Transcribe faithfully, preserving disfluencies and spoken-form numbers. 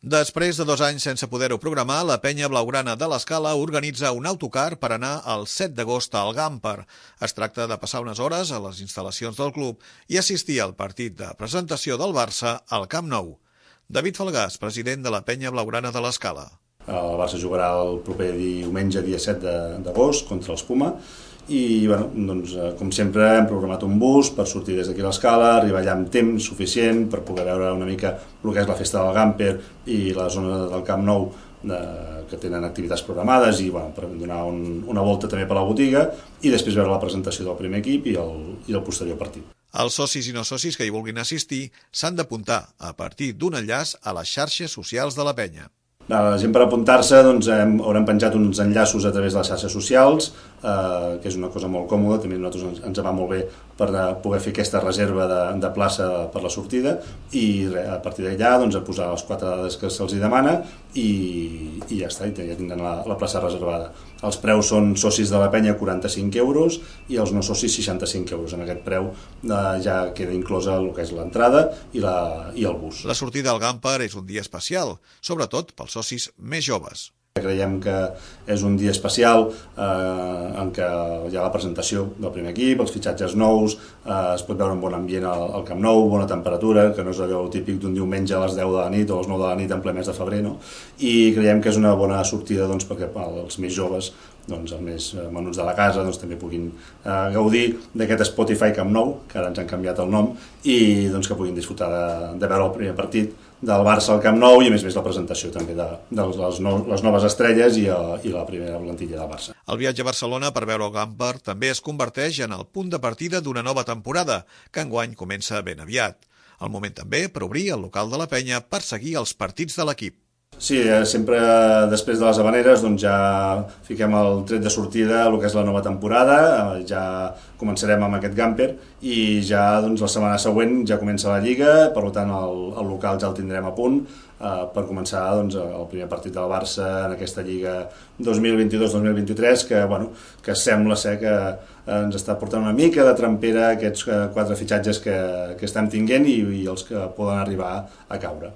Després de dos anys sense poder-ho programar, la penya blaugrana de l'Escala organitza un autocar per anar el set d'agost al Gamper. Es tracta de passar unes hores a les instal·lacions del club i assistir al partit de presentació del Barça al Camp Nou. David Falgàs, president de la penya blaugrana de l'Escala. El Barça jugarà el proper diumenge, dia set d'agost, contra els Puma. I, bueno, doncs, com sempre, hem programat un bus per sortir des d'aquí a l'Escala, arribar allà amb temps suficient per poder veure una mica el que és la festa del Gamper i la zona del Camp Nou de, que tenen activitats programades i, bueno, per donar un, una volta també per la botiga i després veure la presentació del primer equip i el, i el posterior partit. Els socis i no socis que hi vulguin assistir s'han d'apuntar a partir d'un enllaç a les xarxes socials de la penya. La gent per apuntar-se doncs, hem, haurem penjat uns enllaços a través de les xarxes socials, eh, que és una cosa molt còmoda, també a nosaltres ens, ens va molt bé per poder fer aquesta reserva de, de plaça per la sortida i re, a partir d'allà doncs, a posar les quatre dades que se'ls demana i, i ja està, i ja tindran la, la plaça reservada. Els preus són socis de la penya quaranta-cinc euros i els no socis seixanta-cinc euros. En aquest preu eh, ja queda inclosa el que és l'entrada i, la, i el bus. La sortida al Gamper és un dia especial, sobretot pels socis més joves. Creiem que és un dia especial eh, en què hi ha la presentació del primer equip, els fitxatges nous, eh, es pot veure un bon ambient al, al Camp Nou, bona temperatura, que no és allò típic d'un diumenge a les deu de la nit o a les nou de la nit en ple mes de febrer, no? I creiem que és una bona sortida doncs, perquè els més joves, doncs, els més menuts de la casa doncs, també puguin eh, gaudir d'aquest Spotify Camp Nou, que ara ens han canviat el nom, i doncs, que puguin disfrutar de, de veure el primer partit del Barça al Camp Nou i a més a més la presentació també de, de les, no, les noves estrelles i, a, i la primera plantilla del Barça. El viatge a Barcelona per veure el Gamper també es converteix en el punt de partida d'una nova temporada, que enguany comença ben aviat. El moment també per obrir el local de la penya per seguir els partits de l'equip. Sí, sempre després de les Havaneres doncs ja fiquem el tret de sortida el que és la nova temporada, ja començarem amb aquest Gamper i ja doncs, la setmana següent ja comença la Lliga, per tant el, el local ja el tindrem a punt eh, per començar doncs, el primer partit del Barça en aquesta Lliga dos mil vint-i-dos dos mil vint-i-tres que, bueno, que sembla ser que ens està portant una mica de trampera aquests quatre fitxatges que, que estem tinguent i, i els que poden arribar a caure.